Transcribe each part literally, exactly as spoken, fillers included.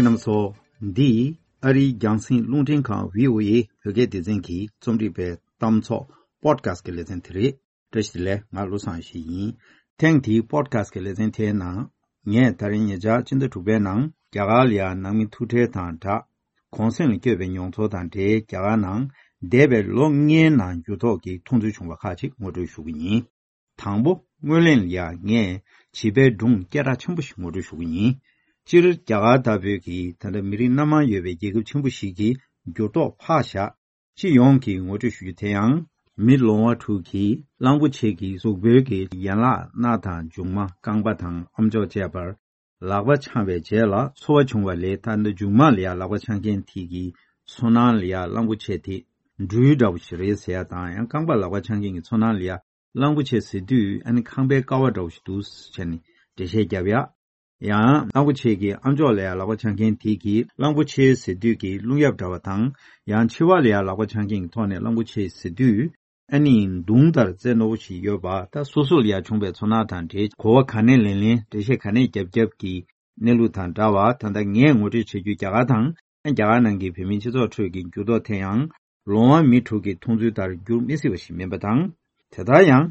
རྣམ་པ་ཚོ། འདི་ཨ་རིའི་རྒྱང་སྲིང་རླུང་འཕྲིན་ཁང་བྷི་ཨོ་ཨེ་བོད་སྐད་སྡེ་ཚན་གྱི་རྩོམ་སྒྲིག་པའི་གཏམ་ཚོགས་པོ་ཌི་ཁ་སི་ཊི་གི་ལེ་ཚན་དེ་རེད། བཀྲ་ཤིས་བདེ་ལེགས། ང་བློ་བཟང་ཡེ་ཤེས་ཡིན། ཐེངས་འདིའི་པོ་ཌི་ཁ་སི་ཊི་གི་ལེ་ཚན་དེའི་ནང་། ངས་ད་རིང་ཉེ་ཆར་སྤྱི་ཟླ་དྲུག་པའི་ནང་རྒྱ་གར་ལ་ཡ་ནང་མི་ཐུག་འཕྲད་དང་སྦྲགས། གུང་གསེང་ལ་བསྐྱོད་པའི་མྱོང་ཚོར་དང་འབྲེལ། རྒྱ་གར་ནང་འདས་པའི་ལོ་ལྔའི་ནང་འགྱུར་ལྡོག་གི་མཐོང་ཚུལ་བྱུང་བ་ཁག་ཅིག་ངོ་སྤྲོད་ཞུ་གི་ཡིན། དང་པོ། སྔོན་གླེང་ལ་ཡ་ངས་བྱིས་པའི་སྒྲུང་སྐད་གྲགས་ཆེན་པོ་ཞིག་ངོ་སྤྲོད་ཞུ་གི་ཡིན། སྤྱིར་རྒྱ་གར་ལྟ་བུའི་གི་ད་ལྟ་མི་རིགས་སྣ་མང་ཡོད་པའི་རྒྱལ་ཁབ་ཆེན་པོ་ཞིག་གི་འགྱུར་ལྡོག་ཕར་བཞག། སྤྱི་ཡོངས་ཀྱི་ངོ་སྤྲོད་ཞུ་རྒྱུ་དེ་ཡང་། མི་ལོང་བ་དྲུག་གིས་གླང་པོ་ཆེ་གི་གཟུགས་པོའི་གི་ཡན་ལག་སྣ་དང་མཇུག་མ་རྐང་པ་དང་ཨམ་ཅོག་བཅས་པར་ལག་པ་འཆང་བའི་རྗེས་ལ་ཚོར་བ་བྱུང་བ་ལས། ད་ལྟ་མཇུག་མ་ལ་ཡ་ལག་པ་འཆང་མཁན་དེ་གི་ཚོར་སྣང་ལ་ཡ་གླང་པོ་ཆེ་དེ་སྦྲུལ་འདྲ་བོ་ཞིག་རེད་ཟེར་ཡ་དང་། ཡང་རྐང་པ་ལག་པ་འཆང་མཁན་གྱི་ཚོར་སྣང་ལ་ཡ་གླང་པོ་ཆེ་ཟེར་དུས་ཨ་ནི་ཁང་པའི་ཀ་བ་འདྲ་བོ་ཞིག་འདུག་ཟེར་ནས་འགྲེལ་བཤད་བརྒྱབ་ཡ། ཡང་གླང་པོ་ཆེ་གི་ཨམ་ཅོག་ལ་ཡ་ལག་པ་འཆང་མཁན་དེ་གིས་གླང་པོ་ཆེ་ཟེར་དུས་ཀྱི་རླུང་གཡབ་འདྲ་བ་དང་། ཡང་མཆེ་བ་ལ་ཡ་ལག་པ་འཆང་མཁན་གྱི་ཐོག་ནས་གླང་པོ་ཆེ་ཟེར་དུས་ཨ་ནི་མདུང་ལྟར་རྩེ་རྣོ་བོ་ཞིག་ཡོད་པ། ད་སོ་སོ་ལ་ཡ་བྱུང་བའི་ཚོར་སྣང་དང་འབྲེལ། གོ་བ་ག་ནས་ལེན་ལེན། འགྲེལ་བཤད་ག་ནས་རྒྱབ་རྒྱབ་ཀྱི་གནས་ལུགས་དང་འདྲ་བ། ད་ལྟ་ངས་ངོ་སྤྲོད་བྱེད་རྒྱུ་རྒྱ་གར་དང་། རྒྱ་གར་ནང་གི་བོད་མིའི་སྤྱི་ཚོགས་ཁྲོད་ཀྱི་འགྱུར་ལྡོག་དེ་ཡང་ལོང་བ་མི་དྲུག་གི་མཐོང་ཚུལ་ལྟར་འགྱུར་མི་སྲིད་པ་ཞིག་མིན་པ་དང་། དེ་ལྟར་ཡང་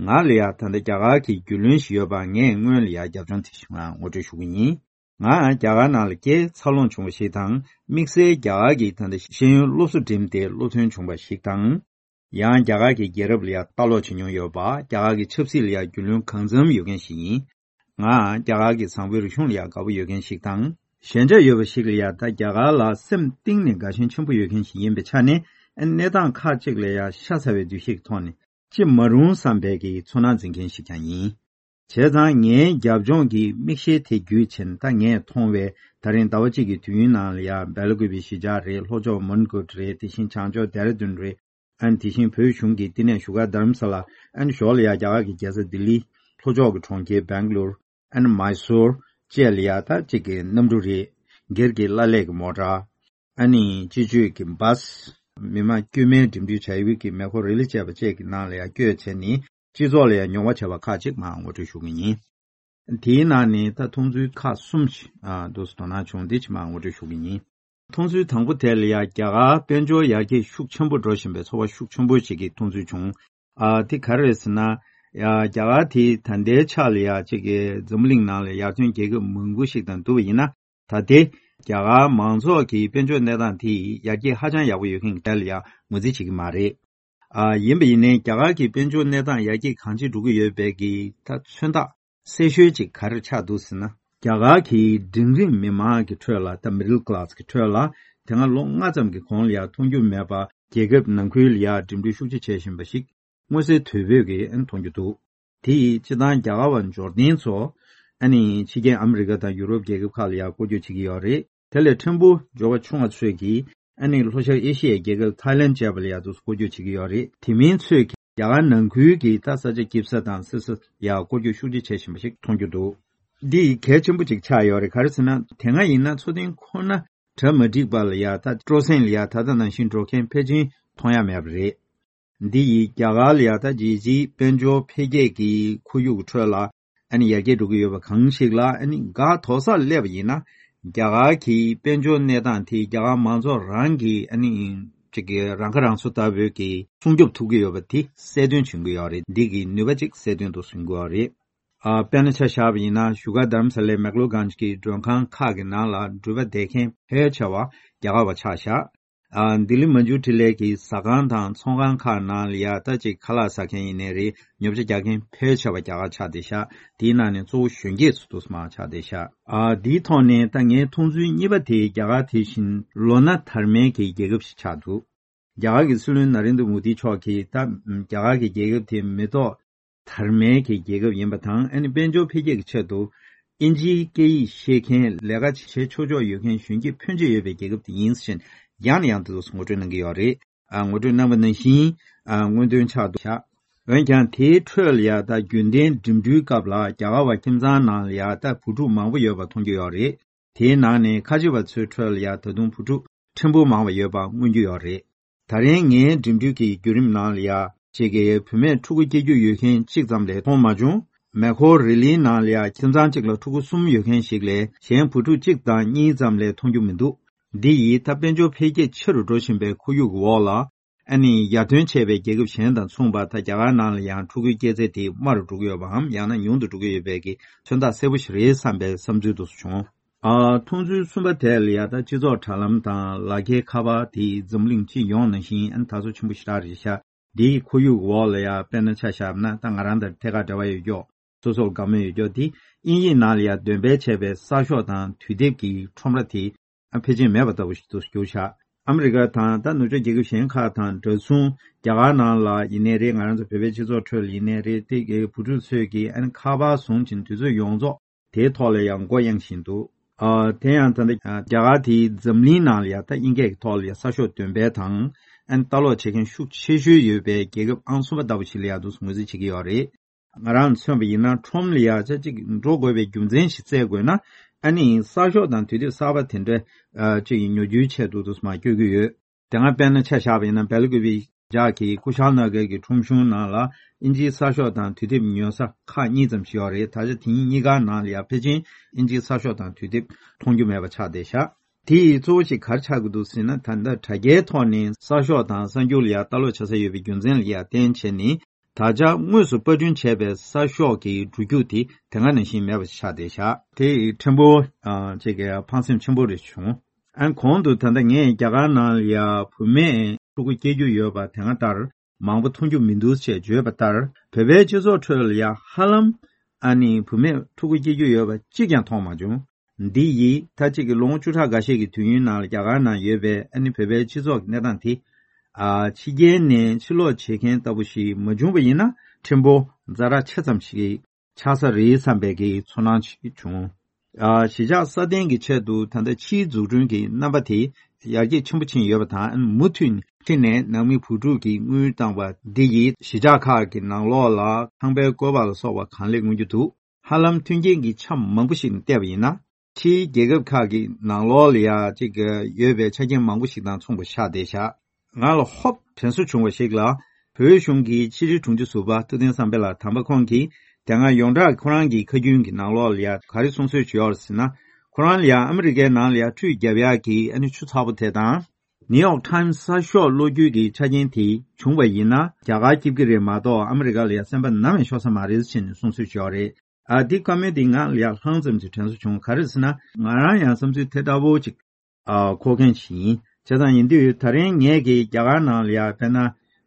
ང་ལ་ཡ་ད་ལྟ་རྒྱ་གར་གྱི་རྒྱུས་ལོན་ཞིག་ཡོད་པ་ངས་སྔོན་ལ་ཡ་རྒྱབ་ལྗོངས་དེ་ཞིག་ངོ་སྤྲོད་ཞུ་གི་ཡིན། ང་རྒྱ་གར་ནང་ལ་སྐྱེས། འཚར་ལོངས་བྱུང་བ་ཞིག་དང་། དམིགས་བསལ་རྒྱ་གར་གྱི་ད་ལྟ་ཤེས་ཡོན་སློབ་གསོ་འགྲིམས་ཏེ་སློབ་ཐོན་བྱུང་བ་ཞིག་དང་། ཡང་རྒྱ་གར་གྱི་རྒྱལ་རབས་ལ་ཡ་ལྟ་ཀློག་བྱེད་མྱོང་ཡོད་པ། རྒྱ་གར་གྱི་ཆབ་སྲིད་ལ་ཡ་རྒྱུས་ལོན་གང་འཚམ་ཡོད་མཁན་ཞིག་ཡིན། ང་རྒྱ་གར་གྱི་བཟང་པོའི་རིག་གཞུང་ལ་ཡ་དགའ་པོ་ཡོད་མཁན་ཞིག་དང་། ཞན་ཆ་ཡོད་པ་ཞིག་ལ་ཡ་ད་རྒྱ་གར་ལ་སེམས་གཏིང་ནས་དགའ་ཞེན་ཆེན་པོ་ཡོད་མཁན་ཞིག་ཡིན་པའི་ཆ་ནས། ཨ་ནི་གནས་སྟངས་ཁག་ཅིག་ལ་ཡ་ཤ་ཚ་བའི་འདུ་ཤེས་ཀྱི་ཐོག་ནས་ཅི་མ་རུང་བསམ་པའི་གི་ཚོར་སྣང་འཛིན་མཁན་ཞིག་ཀྱང་ཡིན། བྱས་ཙང་ངའི་རྒྱབ་ལྗོངས་ཀྱི་མིག་ཤེལ་དེ་བརྒྱུད་ཕྱིན། ད་ངས་མཐོང་བའི་ད་རིང་ཟླ་བ་གཅིག་གི་དུས་ཡུན་ནང་ལ་ཡ་སྦེལ་ཀོབ་གཞིས་ཆགས་རེད། ལྷོ་ཕྱོགས་མོན་གྷོ་རེད། དེ་བཞིན་བྱང་ཕྱོགས་ལྡེ་ར་ལྡུན་རེད། ཨ་ནི་དེ་བཞིན་བོད་གཞུང་གི་བསྟི་གནས་བཞུགས་སྒར་རྡ་རམ་ས་ལ། ཨ་ནི་ཞོར་ལ་ཡ་རྒྱ་གར་གྱི་རྒྱལ་ས་ལྡི་ལི། ལྷོ་ཕྱོགས་ཀྱི་གྲོང་ཁྱེར་སྦེང་ལོར། ཨ་ནི་མཱི་སོར་བཅས་ལ་ཡ་ད་གཅིག་གི་གནམ་གྲུ་རེད། སྒེར་གྱི་བླ་ལྷག་གི་མོ་ཊ། ཨ་ནི་སྤྱི་སྤྱོད་ཀྱི་བྷ་སི། མི་མང་དཀྱུས་མའི་འགྲིམ་འགྲུལ་བྱ་ཡུལ་གྱི་མེ་འཁོར་རི་ལི་བཅས་པ་བཅས་ཀྱི་ནང་ལ་ཡ་བསྐྱོད་བྱས་ནས་སྤྱི་ཚོགས་ལ་ཡ་མྱོང་བ་བྱས་པ་ཁག་ཅིག་མར་ངོ་སྤྲོད་ཞུ་གི་ཡིན། དེའི་ནང་ནས་ད་མཐོང་ཚུལ་ཁག་གསུམ་ཞིག་ཨ་འདུག་སེ་དོ་སྣང་བྱུང་། འདི་ཅིག་མར་ངོ་སྤྲོད་ཞུ་གི་ཡིན། མཐོང་ཚུལ་དང་པོ་དེ་ལ་ཡ་རྒྱ་གར་དཔལ་འབྱོར་ཡར་རྒྱས་ཤུགས་ཆེན་པོ་འགྲོ་བཞིན་པའི་ཚོར་བ་ཤུགས་ཆེན་པོ་ཞིག་གི་མཐོང་ཚུལ་བྱུང་། ཨ་དེ་ག་རེ་རེད་ཟེར་ན། ཡ་རྒྱ་གར་དེ་ད་ལྟའི་ཆ་ལ་ཡ་གཅིག་གི་འཛམ་བུ་གླིང་ནང་ལ་ཡར་ཐོན་རྒྱལ་ཁབ་མང་པོ་ཞིག་དང་བསྡུར་བ་ཡིན་ན། ད་ལྟའི་རྒྱ་གར་མང་ཚོགས་ཀྱི་དཔལ་འབྱོར་གནས་སྟངས་དེ་ཡར་རྒྱས་ཧ་ཅང་ཡག་པོ་ཡོད་མཁན་གྱི་གྲས་ལ་ཡ་ངོས་འཛིན་བྱེད་ཀྱི་མ་རེད། ཨ་ཡིན་པ་ཡིན་ནའི་རྒྱ་གར་གྱི་དཔལ་འབྱོར་གནས་སྟངས་ཡར་རྒྱས་གང་ཅི་འགྲོ་གི་ཡོད་པའི་གི་ད་མཚོན་རྟགས་གསལ་ཤོས་ཅིག་ག་རེ་ཆགས་འདུག་ཟེར་ན། རྒྱ་གར་གྱི་འབྲིང་རིམ་མི་མང་གི་ཁྲོད་ལ། ད་མི་ཌལ་ཀ་ལཱ་སི་གི་ཁྲོད་ལ། དེ་སྔ་ལོ་ལྔ་ཙམ་གྱི་གོང་ལ་ཡ་མཐོང་རྒྱུ་མེད་པ། རྒྱལ་ཁབ་ནང་ཁུལ་ལ་ཡ་འགྲིམ་འགྲུལ་ཤུགས་ཆེ་བྱེད་བཞིན་པ་ཞིག་མངོན་གསལ་དོད་པོས་ཀྱི་མཐོང་རྒྱུ་འདུག་དེ་ཡིས་སྤྱིར་བཏང་རྒྱ་གར་བ་འབྱོར་ལྡན་ཚོ་ཨ་ནི་ཕྱི་རྒྱལ་ཨ་མི་རི་ཀ་དང་ཡུ་རོབ་རྒྱལ་ཁབ་ཁག་ལ་ཡ་སྐོར་སྐྱོད་བྱེད་ཀྱི་ཡོད་རེད། དེ་ལས་ཕྲན་བུ་འབྱོར་བ་ཆུང་བ་ཚོས་ཀྱིས་ཨ་ནི་ལྷོ་ཤར་ཨེ་ཤི་ཡའི་རྒྱལ་ཁབ་ཐའི་ལེན་བཅས་པ་ལ་ཡ་ཚོ་སྐོར་སྐྱོད་བྱེད་ཀྱི་ཡོད་རེད། དེ་མིན་ཚོས་ཀྱིས་རྒྱ་གར་ནང་ཁུལ་གྱི་ད་ས་ཆ་སྐྱིད་ས་དང་སི་སི་ཡ་སྐོར་སྐྱོད་ཤུགས་ཆེ་བྱེད་བཞིན་པ་ཞིག་མཐོང་རྒྱུ་འདུག་འདི་གལ་ཆེན་པོ་ཅིག་ཆགས་ཡོད་རེད། ག་རེ་ཟེར་ན། དེ་སྔ་ཡིན་ན་མཚོ་གླིང་ཁོ་ན་གྲ་མ་འགྲིག་པ་ལ་ཡ། ད་སྤྲོ་གསེང་ལ་ཡ་ད་ལྟ་ནང་བཞིན་འགྲོ་མཁན་ཕལ་ཆེར་མཐོང་ཡ་མེད་པ་རེད། འདི་ཡིས་རྒྱ་གར་ལ་ཡ་ད་རྒྱལ་སྤྱིའི་དཔལ་འབྱོར་འཕེལ་རྒྱས་ཀྱི་ཁོར་ཡུག་གི་ཁྲོད་ལ་ཨ་ནི་ཡར་རྒྱས་འགྲོ་གི་ཡོད་པ་གང་ཞིག་ལ་ཨ་ནི་འགག་དོགས་སར་སླེབས་པ་ཡིན་ན། རྒྱ་གར་གྱི་དཔལ་འབྱོར་གནས་སྟངས་དེ་རྒྱ་གར་མང་ཚོགས་རང་གི་ཨ་ནི་ཅིག་གི་རང་ཁ་རང་གསོ་ལྟ་བུའི་གི་སྲུང་སྐྱོབ་ཐུབ་ཀྱི་ཡོད་པ་དེ་གསལ་སྟོན་བྱེད་ཀྱི་ཡོད་རེད། འདི་གི་ནུས་པ་ཅིག་གསལ་སྟོན་དུ་བཟུང་གི་ཡོད་རེད། ཨ་དཔེར་ན་ཆ་བཞག་པ་ཡིན་ན། བཞུགས་སྒར་རྡ་རམ་ས་ལའི་མེག་ལོ་གྷན་ཇི་གི་མགྲོན་ཁང་ཁག་གི་ནང་ལ་འགྲུལ་པ་བསྡད་མཁན་ཕལ་ཆེ་བ་རྒྱ་གར་བ་ཆགས་བཞག་ཨ་ལྡི་ལི་མན་ཇུ་ཊི་ལའི་གི་ཟ་ཁང་དང་ཚོང་ཁང་ཁག་ནང་ལ་ཡ་ད་ཅིག་ཁ་ལག་ཟ་མཁན་ཡིན་ནའི་རེད། ཉོ་ཆ་རྒྱག་མཁན་ཕལ་ཆེ་བ་རྒྱ་གར་ཆགས་བསྡད་ཤག་དེའི་ནང་ནས་གཙོ་བོ་གཞོན་སྐྱེས་ཚོ་འདུག་སེ་མར་ཆགས་བསྡད་ཤག་ཨ་དེའི་ཐོག་ནས་ད་ངའི་མཐོང་ཚུལ་གཉིས་པ་དེ། རྒྱ་གར་དེ་བཞིན་ལོ་ན་དར་མའི་གི་རྒྱལ་ཁབ་ཞིག་ཆགས་འདུག་རྒྱ་གར་གྱི་སྲིད་བློན་ན་རེན་དྲ་མོ་དི་མཆོག་གིས་ད་རྒྱ་གར་གྱི་རྒྱལ་ཁབ་དེ་མེ་ཏོག་དར་མའི་གི་རྒྱལ་ཁབ་ཡིན་པ་དང་། ཨ་ནི་དཔལ་འབྱོར་འཕེལ་རྒྱས་ཀྱི་ཆེད་དུ་ཨིན་ཇིའི་སྐད་ཡིག་ཤེས་མཁན། ལས་ཀ་བྱེད་ཆོག་ཆོག་ཡོད་མཁན་གཞོན་སྐྱེས་ཕོན་ཆེ་ཡོད་པའི་རྒྱལ་ཁབ་དེ་ཡིན་ཟེར་ནས་ཡང་ནས་ཡང་དུ་ངོ་སྤྲོད་གནང་གི་ཡོད་རེད། ཨ་ངོ་སྤྲོད་གནང་བ་ནང་བཞིན་ཨ་མངོན་འདོན་ཆགས་འདུག་ཤག་འོན་ཀྱང་དེའི་ཁྲོད་ལ་ཡ་ད་རྒྱུན་ལྡན་འགྲིམ་འགྲུལ་སྐབས་ལ་རྒྱ་གར་བ་ཁྱིམ་ཚང་ནང་ལ་ཡ་ད་བུ་ཕྲུག་མང་པོ་ཡོད་པ་མཐོང་རྒྱུ་ཡོད་རེད། དེའི་ནང་ནས་ཁ་ཆེ་བ་ཚོའི་ཁྲོད་ལ་ཡ་ད་དུང་བུ་ཕྲུག་ཕྲན་བུ་མང་བ་ཡོད་པ་མངོན་རྒྱུ་ཡོད་རེད། ད་རིང་ངའི་འགྲིམ་འགྲུལ་གྱི་བརྒྱུད་རིམ་ནང་ལ་ཡ་གཅིག་གི་བུད་མེད་ཕྲུ་གུ་སྐྱེ་རྒྱུ་ཡོད་མཁན་གཅིག་ཙམ་ལས་མཐོང་མ་བྱུང་ མེ་ཁོ་རི་ལིའི་ནང་ལ་ཡ་ཁྱིམ་ཚང་གཅིག་ལ་ཕྲུ་གུ་གསུམ་ཡོད་མཁན་ཞིག་ལས་གཞན་བུ་ཕྲུག་གཅིག་དང་གཉིས་ཙམ་ལས་མཐོང་རྒྱུ་མི་འདུག་འདི་ཡིས་ད་དཔལ་འབྱོར་འཕེལ་རྒྱས་ཆེ་རུ་འགྲོ་བཞིན་པའི་ཁོར་ཡུག་གི་འོག་ལ། ཨ་ནི་ཡར་ཐོན་བྱས་པའི་རྒྱལ་ཁབ་གཞན་དང་མཚུངས་པར་ད་རྒྱ་གར་ནང་ལ་ཡང་ཕྲུ་གུའི་སྐྱེས་ཚད་དེ་དམའ་རུ་འགྲོ་གི་ཡོད་པའམ་ཡང་ན་ཉུང་དུ་འགྲོ་གི་ཡོད་པའི་གི་མཚོན་རྟགས་གསལ་པོ་ཞིག་རེད་བསམ་པའི་བསམ་ཚུལ་དུ་བྱུང་། ཨ། མཐོང་ཚུལ་གསུམ་པ་དེ་ལ་ཡ་ད་སྤྱི་ཚོགས་དྲ་ལམ་དང་ལག་འཁྱེར་ཁ་པར་དེ་འཛམ་གླིང་སྤྱི་ཡོངས་ནང་བཞིན་ཨ་ནི་དར་སོ་ཆེན་པོ་ཞེ་དྲག་རེད་ཤག་འདིའི་ཁོར་ཡུག་འོག་ལ་ཡ་དཔེར་ན་ཆ་བཞག་ན་ད་ང་རང་དང་ཐད་ཀར་འབྲེལ་བ་ཡོད་ཀྱོག་སོ་སོར་དགའ་མོས་ཡོད་ཀྱོག་དེ་དབྱིན་ཡིག་ནང་ལ་ཡ་འདོན་སྤེལ་བྱས་པའི་གསར་ཤོག་དང་དུས་དེབ་ཀྱི་ཁྲོམ་ར་དེ་ཨ་ཕལ་ཆེར་མེད་པ་ལྟ་བུ་ཞིག་ཏུ་གྱུར་ཤག་ཨ་མི་རི་ཀ་དང་ད་ནུབ་ཕྱོགས་རྒྱལ་ཁབ་གཞན་ཁག་དང་འདྲ་མཚུངས་རྒྱ་གར་ནང་ལ་ཡིན་ནའི་རེད། ང་རང་ཚོ་བོད་པའི་སྤྱི་ཚོགས་ཁྲོད་ལ་ཡིན་ནའི་རེད། དེ་གའི་བུ་ཕྲུག་ཚོས་ཀྱིས་ཨ་ནི་ཁ་པར་བཟུང་བྱས་དུས་ཚོད་ཡོངས་རྫོགས་དེའི་ཐོག་ལ་ཡང་མགོ་གཡེང་བཞིན་འདུག་ཨ། དེ་ཡང་ད་ལྟ་རྒྱ་གར་དེའི་འཛམ་གླིང་ནང་ལ་ཡང་ད་དབྱིན་སྐད་ཀྱི་ཐོག་ལ་ཡང་གསར་ཤོག་འདོན་སྤེལ་དང་ཨ་ནི་ལྟ་ཀློག་བྱེད་མཁན་ཤུགས་ཆེ་ཤོས་ཡོད་པའི་རྒྱལ་ཁབ་ཨང་གསུམ་པ་ལྟ་བུ་ཞིག་ལ་ཡང་འདུག་སེ་ངོས་འཛིན་བྱེད་ཀྱི་ཡོད་རེད། ང་རང་མཚོན་པ་ཡིན་ན་ཁྲོམ་ལ་ཡ་ཆ་གཅིག་འགྲོ་དགོས་པའི་རྒྱུ་མཚན་ཞིག་བཙལ་དགོས་ན་ཨ་ནི་གསར་ཤོག་དང་དུས་དེབ་གསར་པ་དེ་འདྲ་ཨ་ཅིག་ཉོ་རྒྱུའི་ཆེད་དུ་དུ་མ་སྐྱོད་ཀྱི་ཡོད། དེ་སྔ་དཔེར་ན་ཆ་བཞག་པ་ཡིན་ན་སྦེལ་ལ་ཀུ་པེ་ཇག་གི་ཀུ་ཤལ་ན་གར་གྱི་ཁྲོམ་གཞུང་ནང་ལ་ཨིན་ཇིའི་གསར་ཤོག་དང་དུས་དེབ་ཉོ་ས་ཁག་གཉིས་ཙམ་ཞིག་ཡོད་རེད། ད་ཆ་དེ་གཉིས་ཀ་ནང་ལ་ཡ་ཕལ་ཆེར་ཨིན་ཇིའི་གསར་ཤོག་དང་དུས་དེབ་མཐོང་རྒྱུ་མེད་པ་ཆགས་བསྡད་ཤག་དེ་ཡི་གཙོ་བོ་ཞིག་ག་རེ་ཆགས་ཀྱི་འདུག་ཟེར་ན་ད་ལྟ་དྲ་རྒྱའི་ཐོག་ནས་གསར་ཤོག་དང་གསར་འགྱུར་ལ་ཡ་ལྟ་ཀློག་བྱ་ས་ཡོད་པའི་རྒྱུ་མཚན་ལ་ཡ་བརྟེན་བྱས་ནས། ད་ཆ་དངོས་སུ་པར་སྐྲུན་བྱས་པའི་གསར་ཤོག་གི་འགྲོ་རྒྱུགས་དེ་དེ་སྔ་ནང་བཞིན་མེད་པ་ཆགས་བསྡད་ཤག་དེ་ཕྲན་བུ་ཅིག་གི་ཕངས་སེམས་ཆེན་པོ་རེ་བྱུང་། ཨ་གོང་དུ་ད་ལྟ་ངས་རྒྱ་གར་ནང་ལ་ཡ་བུད་མེད་ཕྲུ་གུ་སྐྱེ་རྒྱུ་ཡོད་པ་དེ་སྔ་ལྟར་མང་པོ་མཐོང་རྒྱུ་མི་འདུག་ཅེས་བརྗོད་པ་ལྟར་བོད་པའི་སྤྱི་ཚོགས་ཁྲོད་ལ་ཡ་ཧ་ལམ་ཨ་ནི་བུད་མེད་ཕྲུ་གུ་སྐྱེ་རྒྱུ་ཡོད་པ་གཅིག་ཀྱང་མཐོང་མ་བྱུང་། འདི་ཡིས་ད་ཅིག་གི་ལོ་ངོ་བཅུ་ཕྲག་འགའ་ཤས་ཀྱི་དུས་ཡུན་ནང་ལ་རྒྱ་གར་ནང་ཡོད་པའི་ཨ་ནི་བོད་པའི་སྤྱི་ཚོགས་ཀྱི་གནས་སྟངས་དེ། ཨ་ཕྱི་རྒྱལ་ནས་ཕྱིར་ལོག་བྱེད་མཁན་ལྟ་བུ་ཞིག་མ་བྱུང་བ་ཡིན་ན་ཕྲན་བུ་ཛ་དྲག་ཆེ་ཙམ་ཞིག་ཆགས་ས་རེད་བསམ་པའི་གི་ཚོར་སྣང་ཞིག་བྱུང་། ཨ་གཞིས་ཆགས་སྲ་བརྟན་གྱི་ཆེད་དུ་ད་ལྟ་ཕྱིའི་འཛུགས་སྐྲུན་གྱི་རྣམ་པ་དེ་ཡར་རྒྱས་ཆེན་པོ་ཕྱིན་ཡོད་པ་དང་མུ་མཐུད་ནས་ཕྱི་ནས་ནང་མི་བུ་ཕྲུག་གི་དངུལ་བཏང་བ་འདི་ཡིས་གཞིས་ཆགས་ཁག་གི་ནང་ལོགས་ལ་ཁང་པའི་བཀོད་པ་ལ་སོགས་པ་གང་ལེགས་མངོན་རྒྱུ་འདུག་ཧ་ལམ་མཐུན་རྐྱེན་གྱི་ཆ་མང་པོ་ཞིག་ནས་བལྟས་པ་ཡིན་ན། ཕྱིའི་རྒྱལ་ཁབ་ཁག་གི་ནང་ལོགས་ལ་ཡ་གཅིག་ཡོད་པའི་ཆ་རྐྱེན་མང་པོ་ཞིག་དང་མཚུངས་པ་ཆགས་བསྡད་ཤག་ང་ལ་ཧོབ་དྲན་གསོ་བྱུང་བ་ཞིག་ལ། བོད་གཞུང་གི་ཕྱི་དྲིལ་དྲུང་ཆེ་ཟུར་པ་ཐུབ་བསྟན་བསམ་འཕེལ་ལགས་དམ་པ་ཁོང་གིས་དེ་སྔ་ཡོངས་གྲགས་ཁོ་རང་གི་ཁ་རྒྱུན་གྱི་ནང་ལོགས་ལ་ཡ་ག་རེ་གསུང་སྲོལ་ཞིག་ཡོད་རེད་ཟེར་ན། ཁོ་རང་ལ་ཡ་ཨ་མི་རི་ཀའི་ནང་ལ་ཡ་ཁྲུས་རྒྱབ་ཡག་གི་ཨ་ནི་ཆུ་ཚ་པོ་དེ་དང་། ནིའུ་ཡོག་ཊའིམ་སི་གསར་ཤོག་ཀློག་རྒྱུ་གི་ཆ་རྐྱེན་དེ་བྱུང་བ་ཡིན་ན་རྒྱ་གར་སྐྱིད་ཀྱི་རེད་མ་གཏོགས་ཨ་མི་རི་ཀ་ལ་ཡ་སེམས་པ་ནམ་ཡང་ཤོར་ས་མ་རེད་ཟེར་ནས་གསུང་སྲོལ་ཞིག་ཡོད་རེད། ཨ་འདི་བཀའ་མོལ་འདི་ང་ལ་ཡང་ལྷང་ཙམ་ཅིག་དྲན་གསོ་བྱུང་། ག་རེ་ཟེར་ན་ང་རང་ཡང་བསམ་ཚུལ་དེ་འདྲ་བོ་ཅིག་ཨ་འཁོར་མཁན་ཞིག་ཡིན། བྱས་ཙང་ཡིན་དུས་ད་རིང་ངས་ཀྱི་རྒྱ་གར་ནང་ལ་ཡ་དཔེར་ན་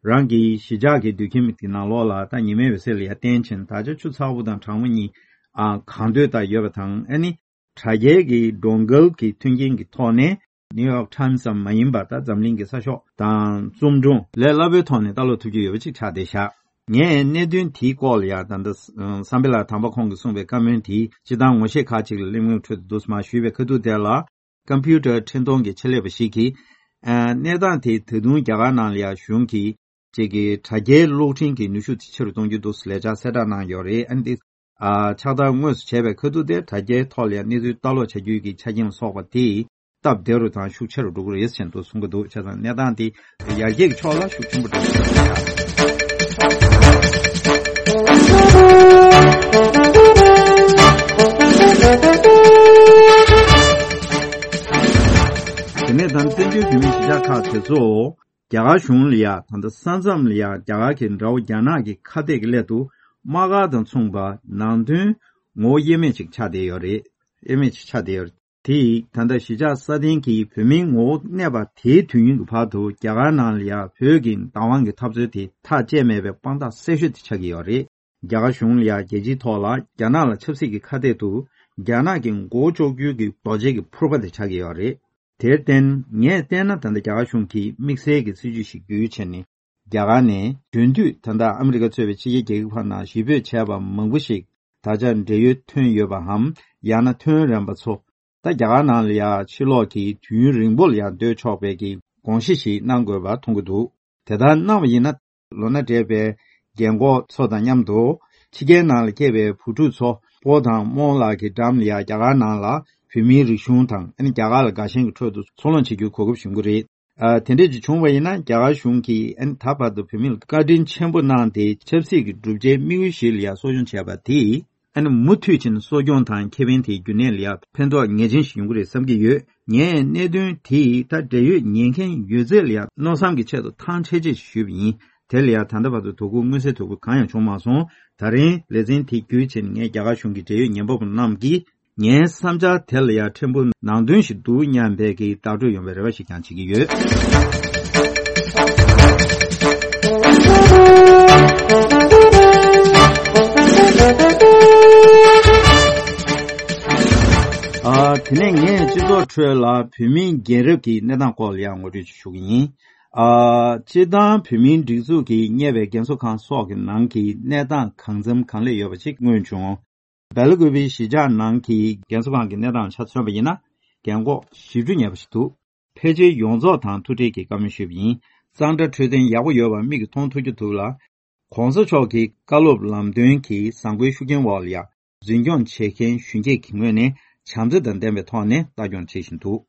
རང་གི་གཞིས་ཆགས་ཀྱི་སྡོད་ཁྱིམ་གྱི་ནང་ལོགས་ལ་ད་ཉི་མའི་འོད་ཟེར་ལ་ཡ་བརྟེན་ཕྱིན་ད་ཆ་ཆུ་ཚ་པོ་དང་གྲང་མོ་གཉིས་ཨ་གང་འདོད་ལྟར་ཡོད་པ་དང་ཨ་ནི། དྲ་རྒྱའི་གི་གྲོང་ཁོལ་གྱི་མཐུན་རྐྱེན་གྱི་ཐོག་ནས་ནིའུ་ཡོག་ཊའིམ་སི་ཙམ་མ་ཡིན་པ་ད་འཛམ་གླིང་གི་གསར་ཤོག་དང་རྩོམ་སྒྲུང་ལས་སླ་པོའི་ཐོག་ནས་ལྟ་ཀློག་ཐུབ་རྒྱུ་ཡོད་པ་ཅིག་ཆགས་བསྡད་ཤག་ངས་གནད་དོན་དེའི་སྐོར་ལ་ཡ་ད་ལྟ་བསམ་འཕེལ་ལགས་དམ་པ་ཁོང་གིས་གསུངས་པའི་བཀའ་མོལ་དེ་སྤྱིར་བཏང་ངོ་ཤེས་ཁག་ཅིག་ལ་གླེང་མོལ་ཁྲོད་དུ་འདུག་སེ་མར་ཞུས་པའི་ཁ་ཐུག་དེ་ལ། ཀམ་པུ་ཊར་འཕྲིན་གཏོང་གི་ཆེད་ལས་པ་ཞིག་གིས། ཨ་གནས་སྟངས་དེ་ད་དུང་རྒྱ་གར་ནང་ལ་ཡ་གཞུང་གིས་ཅིག་གི་དྲ་རྒྱའི་གློག་འཕྲིན་གྱི་ནུས་ཤུགས་དེ་ཆེ་རུ་གཏོང་རྒྱུ་འདུག་ཟེར་ལས་འཆར་གསལ་བསྒྲགས་གནང་ཡོད་རེད། ཨ་ནི་འདི་ཨ་ཕྱག་བསྟར་དངོས་སུ་བྱས་པའི་ཁ་ཐུག་དེ་དྲ་རྒྱའི་ཐོག་ལ་ཡ་གནས་ཚུལ་ལྟ་ཀློག་བྱ་རྒྱུའི་གི་ཆ་རྐྱེན་ལ་སོགས་པ་དེ་སྟབས་བདེ་རུ་དང་ཤུགས་ཆེ་རུ་འགྲོ་གི་རེད་ཟེར་དུ་གསུང་གི་འདུག་བྱས་ཙང་གནས་སྟངས་དེ་ཡར་རྒྱས་ཀྱི་ཕྱོགས་ལ་ཤུགས་ཆེན་པོ་འགྲོ་གི་རེད། དེ་ནས་ད་བཙན་བྱོལ་བོད་མིའི་གཞིས་ཆགས་ཁག་དེ་ཚོ་རྒྱ་གར་གཞུང་ལ་ཡ་ད་ལྟ་ས་མཚམས་ལ་ཡ་རྒྱ་གར་གྱི་དགྲ་བོ་རྒྱ་ནག་གི་ཁ་གཏད་ཀྱི་སླད་དུ་དམག་སྒར་དང་མཚུངས་པ་ནང་དོན་ངོ་བོ་དབྱེར་མེད་ཅིག་ཆགས་བསྡད་ཡོད་རེད། དབྱེར་མེད་ཅིག་ཆགས་བསྡད་ཡོད་རེད། དེ་ཡིས་ད་ལྟ་གཞིས་ཆགས་སྲ་བརྟན་གྱི་བོད་མིའི་ངོ་བོ་གནས་པ་དེའི་དུས་ཡུན་གྱི་བར་དུ་རྒྱ་གར་ནང་ལ་ཡ་བོད་ཀྱི་བདག་དབང་གི་འཐབ་རྩོད་དེ་ཐག་བཅད་མེད་པའི་དཔང་རྟགས་གསལ་ཤོས་དེ་ཆགས་ཀྱི་ཡོད་རེད། རྒྱ་གར་གཞུང་ལ་ཡ་རྒྱལ་སྤྱིའི་ཐོག་ལ་རྒྱ་ནག་ལ་ཆབ་སྲིད་ཀྱི་ཁ་གཏད་དུ་རྒྱ་ནག་གི་མགོ་བོ་གཅོག་རྒྱུའི་གི་རྡོ་གཅལ་གྱི་ཕུར་པ་དེ་ཆགས་ཀྱི་ཡོད་རེད། དེར་བརྟེན་ངས་བལྟས་ན་ད་ལྟ་རྒྱ་གར་གཞུང་གིས་དམིགས་བསལ་གྱི་སྲིད་ཇུས་ཤིག་བརྒྱུད་བྱས་ནས་རྒྱ་གར་ནས་རྒྱུན་མཐུད་ད་ལྟ་ཨ་མི་རི་ཀ་གཙོས་པའི་ཕྱི་རྒྱལ་རྒྱལ་ཁབ་ཁག་ནང་གཞིས་སྤོས་བྱས་པ་མང་པོ་ཞིག་ད་ཆ་འབྲེལ་ཡོད་ཐོན་ཡོད་པའམ་ཡང་ན་ཐོན་རན་པ་ཚོ་ད་རྒྱ་གར་ནང་ལ་ཡ་ཕྱིར་ལོག་གིས་དུས་ཡུན་རིང་པོ་ལ་ཡ་སྡོད་ཆོག་པའི་གི་དགོངས་གཞི་ཞིག་གནང་དགོས་པ་མཐོང་གི་འདུག་དེ་ལྟར་གནང་བ་ཡིན་ན་ལོ་ན་བགྲེས་པའི་རྒན་གོག་ཚོ་དང་མཉམ་དུ་ཕྱི་རྒྱལ་ནང་ལ་སྐྱེས་པའི་བུ་ཕྲུག་ཚོ་སྤོ་དང་རྨོ་ལགས་ཀྱི་འགྲམ་ལ་ཡ་རྒྱ་གར་ནང་ལ་བོད་མིའི་རིག་གཞུང་དང་ཨ་ནི་རྒྱ་གར་ལ་དགའ་ཞེན་གྱི་ཁྲོད་དུ་འཚར་ལོངས་བྱེད་རྒྱུའི་གོ་སྐབས་ཞིག་ཡོང་གི་རེད། ཨ། དེ་འདྲས་ཅིག་བྱུང་བ་ཡིན་ན། རྒྱ་གར་གཞུང་གིས་ཨ་ནི་ད་བར་དུ་བོད་མི་ལ་བཀའ་དྲིན་ཆེན་པོ་གནང་སྟེ། ཆབ་སྲིད་ཀྱི་གྲུབ་ཆའི་དམིགས་ཡུལ་ཞིག་ལ་ཡང་གསོ་སྐྱོང་བྱས་པ་དེས། ཨ་ནི་མུ་མཐུད་ཕྱིན་གསོ་སྐྱོང་དང་ཁེ་ཕན་དེ་རྒྱུན་གནས་ལ་ཡང་ཕན་ཐོགས་ངེས་ཅན་ཞིག་ཡོང་གི་རེད་བསམ་གྱི་ཡོད། ངས་གནད་དོན་དེ་ད་འབྲེལ་ཡོད་ཉན་མཁན་ཡོད་ཚད་ལ་ཡང་མནོ་བསམ་གྱི་ཆེད་དུ་ཐང་ཆད་ཆད་ཞུས་པ་ཡིན། དེ་ལ་ཡང་ད་ལྟ་བར་དུ་དོ་ཁུར་མངོན་གསལ་དོད་པོ་གང་ཡང་བྱུང་མ་སོང་། ད་རིང་ལེ་ཚན་དེ་བརྒྱུད་ཕྱིན་ངས་རྒྱ་གར་གཞུང་གི་འབྲེལ་ཡོད་ཉན་པ་པོ་རྣམས་ཀྱིས། ངའི་བསམ་འཆར་དེ་ལ་ཡང་ཕྲན་བུ་ནང་དོན་ཞིག་འདུག་སྙམ་པའི་གི་བརྡ་སྤྲོད་ཡོང་བའི་རེ་བ་ཞིག་ཀྱང་བྱེད་ཀྱི་ཡོད། ཨ། དེ་ནས་ངས་སྤྱི་ཚོགས་ཁྲོད་ལ་བོད་མིའི་རྒན་རབས་ཀྱི་གནས་སྟངས་སྐོར་ལ་ཡང་ངོ་སྤྲོད་ཅིག་ཞུ་གི་ཡིན། ཨ། སྤྱིར་བཏང་བོད་མིའི་སྒྲིག་འཛུགས་ཀྱིས་གཉེར་བའི་རྒན་གསོ་ཁང་སོགས་ཀྱི་ནང་གི་གནས་སྟངས་གང་འཚམ་གང་ལེགས་ཡོད་པ་ཅིག་མངོན་བྱུང་། སྦེལ་ཀོབ་པའི་གཞིས་ཆགས་ནང་གི་རྒན་གསོ་ཁང་གི་གནས་སྟངས་ཆ་མཚོན་པ་ཡིན་ན། རྒན་འཁོགས་བཞི་བཅུ་ཉེ་བ་ཞིག་འདུག་ཕལ་ཆེར་ཡོངས་རྫོགས་དང་ཐུག་འཕྲད་ཀྱིས་བཀའ་མོལ་ཞུས་པ་ཡིན། གཙང་སྦྲ་འཕྲོད་བསྟེན་ཡག་པོ་ཡོད་པ་མིག་གིས་མཐོང་ཐུབ་ཀྱི་འདུག་ལ། གོང་ས་མཆོག་གི་བཀའ་སློབ་ལམ་སྟོན་གྱི་བཟང་པོའི་ཤུགས་རྐྱེན་འོག་ལ་ཡང་། འཛིན་སྐྱོང་བྱེད་མཁན་གཞོན་སྐྱེས་ཀྱི་ངོས་ནས་བྱམས་བརྩེ་དང་ལྡན་པའི་ཐོག་ནས་ལྟ་སྐྱོང་བྱེད་བཞིན་འདུག་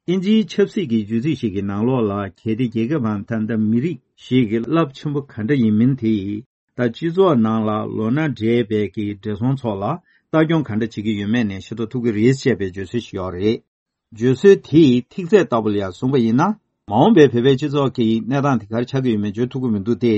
ཨིན་ཇིའི་ཆབ་སྲིད་ཀྱི་བརྗོད་ཚིག་ཞིག་གི་ནང་ལོགས་ལ། གལ་ཏེ་རྒྱལ་ཁབ་བམ་ད་ལྟ་མི་རིགས་ཤིག་གི་རླབས་ཆེན་པོ་ག་འདྲ་ཡིན་མིན་དེ། ད་སྤྱི་ཚོགས་ནང་ལ་ལོ་ན་བགྲེས་པའི་གི་བགྲེས་སོང་ཚོ་ལ་ལྟ་སྐྱོང་ག་འདྲ་བྱེད་ཀྱི་ཡོད་མེད་ནས་ཤེས་རྟོགས་ཐུབ་ཀྱི་རེད་ཅེས་པའི་བརྗོད་སྲོལ་ཞིག་ཡོད་རེད། བརྗོད་སྲོལ་དེའི་ཐིག་ཚད་ལྟ་བུ་ལ་ཡང་བཟུང་བ་ཡིན་ན། མ་འོངས་པའི་བོད་པའི་སྤྱི་ཚོགས་ཀྱི་གནས་སྟངས་དེ་ག་རེ་ཆགས་ཀྱི་ཡོད་མེད་བརྗོད་ཐུབ་ཀྱི་མི་འདུག་སྟེ།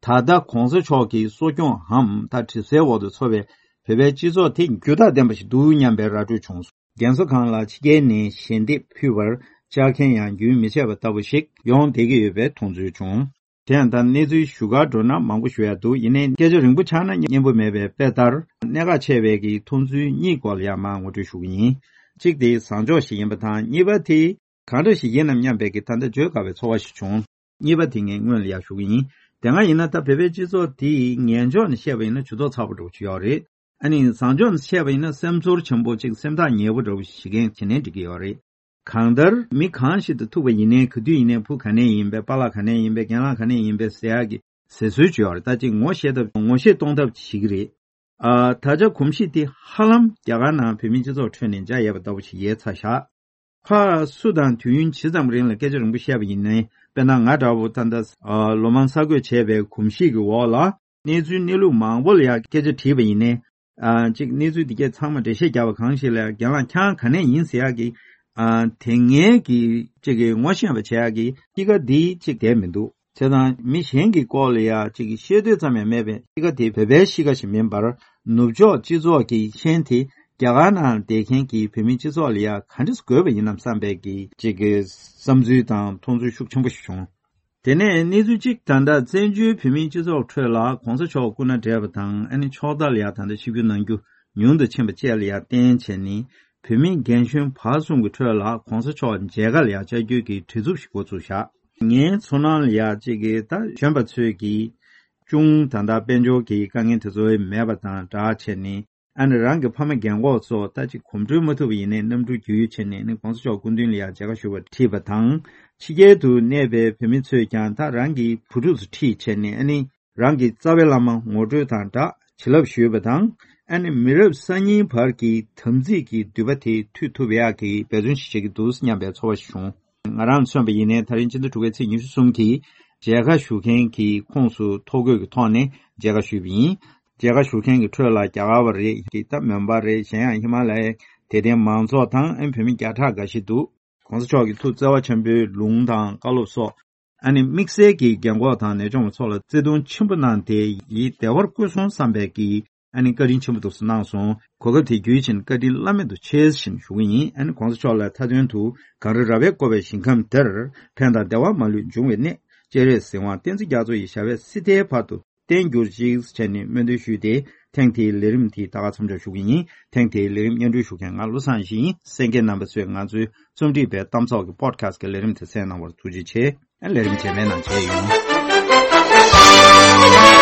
ད་ལྟ་གོང་ས་མཆོག་གི་གསོ་སྐྱོང་འམ་ད་གྲིབ་སེལ་འོག་ཏུ་འཚོ་བའི་བོད་པའི་སྤྱི་ཚོགས་དེ་འགྱུར་ཐག་ལྡན་པ་ཞིག་འདུག་སྙམ་པའི་ར་སྤྲོད་བྱུང་སོང་། རྒན་གསོ་ཁང་ལ་ཕྱི་རྒྱལ་ནས་ཞལ་འདེབས་ཕུལ་བར་བཅར་མཁན་ཡང་རྒྱུན་མི་ཆད་པ་ལྟ་བུ་ཞིག་ཡོང་བསྡད་ཀྱི་ཡོད་པའི་མཐོང་ཚུལ་བྱུང་། དེ་ཡང་ད་གནས་ཚུལ་ཞུ་གར་འགྲོ་ན་མང་པོ་ཞུ་ཡ་འདུག་ཡིན་ནའི་སྐད་ཆ་རིང་པོ་ཆགས་ན་སྙན་པོ་མེད་པའི་དཔེ་ལྟར། གནད་འགག་ཆེ་བའི་གི་མཐོང་ཚུལ་གཉིས་སྐོར་ལ་ཡང་མར་ངོ་སྤྲོད་ཞུ་གི་ཡིན། གཅིག་དེ་བཟང་ཕྱོགས་ཤིག་ཡིན་པ་དང་། གཉིས་པ་དེ་གང་འདྲ་ཞིག་ཡིན་ནམ་སྙམ་པའི་གི་ད་ལྟ་བརྗོད་དཀའ་བའི་ཚོར་བ་ཞིག་བྱུང་། གཉིས་པ་དེ་ངས་སྔོན་ལ་ཡང་ཞུ་གི་ཡིན། དེ་སྔ་ཡིན་ན་ད་བོད་པའི་སྤྱི་ཚོགས་དེ་ངན་ཕྱོགས་ནས་བཤད་པ་ཡིན་ན་ཇུས་གཏོགས་ཚ་པོ་འདྲ་པོ་ཅིག་ཡོད་རེད། ཨ་ནི་བཟང་ཕྱོགས་ནས་བཤད་པ་ཡིན་ན་སེམས་ཚོར་ཆེན་པོ་ཅིག་སེམས་ཐག་ཉེ་པོ་འདྲ་པོ་ཞིག་བྱེད་མཁན་བྱེད་ནའི་འགྲིག་གི་ཡོད་རེད། གང་ལྟར་མི་གང་ཞིག་དང་ཐུག་པ་ཡིན་ནའི། ག་དུས་ཡིན་ནའི་བུ་ག་ནས་ཡིན་པས། པཱ་ལགས་ག་ནས་ཡིན་པས། རྒན་ལགས་ག་ནས་ཡིན་པས་ཟེར་ཡག་གི་ཟེར་སྲོལ་ཅིག་ཡོད་རེད། ད་ཅིག་ངོ་ཤེས་ཐབས་ངོ་ཤེས་གཏོང་ཐབས་ཅིག་བྱེད་ཀྱི་རེད། ཨ། ད་ཆ་གོམས་གཤིས་དེ་ཧ་ལམ་རྒྱ་གར་ནང་བོད་མིའི་སྤྱི་ཚོགས་ཁྲོད་ནས་འཇགས་ཡོད་པ་ལྟ་བུ་ཞིག་ཡལ་ཚར་བཞག་ཕར་སུ་དང་དུས་ཡུན་ཇི་ཙམ་རིང་ལ་སྐད་ཆ་རིང་པོ་བཤད་པ་ཡིན་ནའི། དཔེར་ན་ང་འདྲ་བོ་ད་ལྟ་ཨ་ལོ་མང་གསར་འགོད་བྱས་པའི་གོམས་གཤིས་ཀྱི་འོག་ལ། གནས་ཚུལ་གནས་ལུགས་མང་པོ་ལ་ཡང་སྐད་ཆ་དྲིས་པ་ཡིན་ནའི། ཨ། གཅིག་གནས་ཚུལ་འདི་གས་ཚང་མ་འགྲེལ་བཤད་རྒྱག་པ་གང་ཞིག་ལ་ཡང་རྒན་ལགས་ཁྱེད་རང་ག་ནས་ཡིན་ཟེར་ཡག་གི། ཨ། དེ་སྔའི་གི་གཅིག་གི་ངོ་ཤེས་པ་བྱེད་ཡག་གི་གཤིས་ཀ་འདི་གཅིག་བསྡད་མི་འདུག་བྱས་ཙང་མི་གཞན་གྱི་སྐོར་ལ་ཡང་གཅིག་གི་ཤེས་འདོད་ཙམ་ཡང་མེད་པའི་གཤིས་ཀ་དེ་བོད་པའི་གཤིས་ཀ་ཞིག་མིན་པར། ནུབ་ཕྱོགས་སྤྱི་ཚོགས་ཀྱི་ཤན་དེ་རྒྱ་གར་ནང་བསྡད་མཁན་གྱི་བོད་མིའི་སྤྱི་ཚོགས་ལ་ཡང་ག་འདྲས་དགོས་པ་ཡིན་ནམ་བསམ་པའི་གི་གཅིག་གི་བསམ་ཚུལ་དང་མཐོང་ཚུལ་ཤུགས་ཆེན་པོ་ཞིག་བྱུང་། དེ་ནས་གནས་ཚུལ་གཅིག་ད་ལྟ་བཙན་བྱོལ་བོད་མིའི་སྤྱི་ཚོགས་ཁྲོད་ལ་གོང་ས་མཆོག་སྐུ་ན་བགྲེས་པ་དང་། ཨ་ནི་ཕྱོགས་མཐའ་ལ་ཡང་ད་ལྟ་ཆིབས་བསྒྱུར་གནང་རྒྱུ་ཉུང་དུ་ཕྱིན་པ་བཅས་ལ་ཡང་བརྟེན་བྱས་ནས། བོད་མི་རྒན་གཞོན་བར་གསུམ་གྱི་ཁྲོད་ལ་གོང་ས་མཆོག་མཇལ་ཁ་ལ་ཡང་བཅར་རྒྱུའི་གི་བྲེལ་འཚུབ་ཞིག་འགོ་བཙུགས་བཞག་ངའི་ཚོར་སྣང་ལ་ཡང་གཅིག་གི་ད་གཞོན་པ་ཚོས་ཀྱིས་ཅུང་ད་ལྟ་དཔལ་འབྱོར་གྱི་དཀའ་ངལ་དེ་ཚོ་མེད་པ་དང་སྦྲགས་བྱས་ནས། ཨ་ནི་རང་གི་ཕ་མ་རྒན་འཁོགས་ཚོ་ད་ཅིག་གོམ་བགྲོད་མ་ཐུབ་པ་ཡིན་ནའི་གནམ་གྲུ་བརྒྱུད་བྱས་ནས་ནི་གོང་ས་མཆོག་སྐུ་མདུན་ལ་ཡང་མཇལ་ཁ་ཞུ་བར་ཁྲིད་པ་དང་། ཕྱི་རྒྱལ་དུ་གནས་པའི་བོད་མི་ཚོས་ཀྱང་ད་རང་གི་བུ་ཕྲུག་ཚོ་ཁྲིད་བྱས་ནས། ཨ་ནི་རང་གི་རྩ་བའི་བླ་མ་ངོ་སྤྲོད་དང་སྦྲགས་བྱིན་རླབས་ཞུས་པ་དང་། ཨ་ནི་མི་རབས་གསར་རྙིང་བར་གྱི་དམ་ཚིག་གི་མདུད་པ་དེ་མཐུད་ཐུབ་ཡག་གི་འབད་བརྩོན་ཞིག་བྱེད་ཀྱི་འདུག་སྙམ་པའི་ཚོར་བ་ཞིག་བྱུང་། ང་རང་མཚོན་པ་ཡིན་ནའི་ད་རིང་སྤྱི་ཟླ་དྲུག་པའི་ཚེས་ཉི་ཤུ་གསུམ་གྱི་མཇལ་ཁ་ཞུ་མཁན་གྱི་ཁོངས་སུ་ཐོ་འགོད་ཀྱི་ཐོག་ནས་མཇལ་ཁ་ཞུས་པ་ཡིན། མཇལ་ཁ་ཞུ་མཁན་གྱི་ཁྲོད་ལ་རྒྱ་གར་བ་རེད། ད་མོན་པ་རེད། གཞན་ཡང་ཧི་མ་ལ་ཡའི་དད་ལྡན་མང་ཚོགས་དང་། ཨ་ནི་བོད་མི་བརྒྱ་ཕྲག་འགའ་ཞིག་འདུག་གོང་ས་མཆོག་གི་ཐུགས་བརྩེ་བ་ཆེན་པོའི་ལུང་དང་བཀའ་སློབ་སོགས། ཨ་ནི་དམིགས་བསལ་གྱིས་རྒན་འཁོགས་དང་ནད་གཅོང་བ་ཚོ་ལ་བརྩེ་དུང་ཆེན་པོ་གནང་སྟེ། ཡིད་བདེ་བར་བཀོད་སོང་བསམ་པའི་གི། ཨ་ནི་བཀའ་དྲིན་ཆེན་པོ་འདུག་སེ་གནང་སོང་། གོ་སྐབས་དེ་བརྒྱུད་བྱས་ནས་བཀའ་དྲིན་བླ་མེད་དུ་ཆེ་ཞེས་ཞུ་གི་ཡིན། ཨ་ནི་གོང་ས་མཆོག་ལ་མཐའ་དོན་དུ་གངས་རི་ར་བས་བསྐོར་བའི་ཞིང་ཁམས་འདིར། ཕན་དང་བདེ་བ་མ་ལུས་འབྱུང་བའི་གནས། སྤྱན་རས་གཟིགས་དབང་བསྟན་འཛིན་རྒྱ་མཚོ་ཡི་ཞབས་པད་སྲིད་མཐའི་བར་དུ་བརྟན་གྱུར་ཅིག་བྱས་ནས་སྨོན་འདུན་ཞུས་ཏེ། ཐེངས་དེའི་ལས་རིམ་དེ་ད་ག་མཚམས་འཇོག་ཞུ་གི་ཡིན། ཐེངས་དེའི་ལས་རིམ་སྙན་སྒྲོན་ཞུ་མཁན་ང་བློ་བཟང་ཡེ་ཤེས་ཡིན། གསན་མཁན་རྣམ་པ་ཚོས་ང་ཚོའི་རྩོམ་སྒྲིག་པའི་གཏམ་ཚོགས་ཀྱི་པོ་ཌི་ཁ་སི་ཊི་གི་ལས་རིམ་དེ་གསན་གནང་བར་ཐུགས་རྗེ་ཆེ། ལས་རིམ་རྗེས་མའི་ནང་མཇལ་ཡོང་།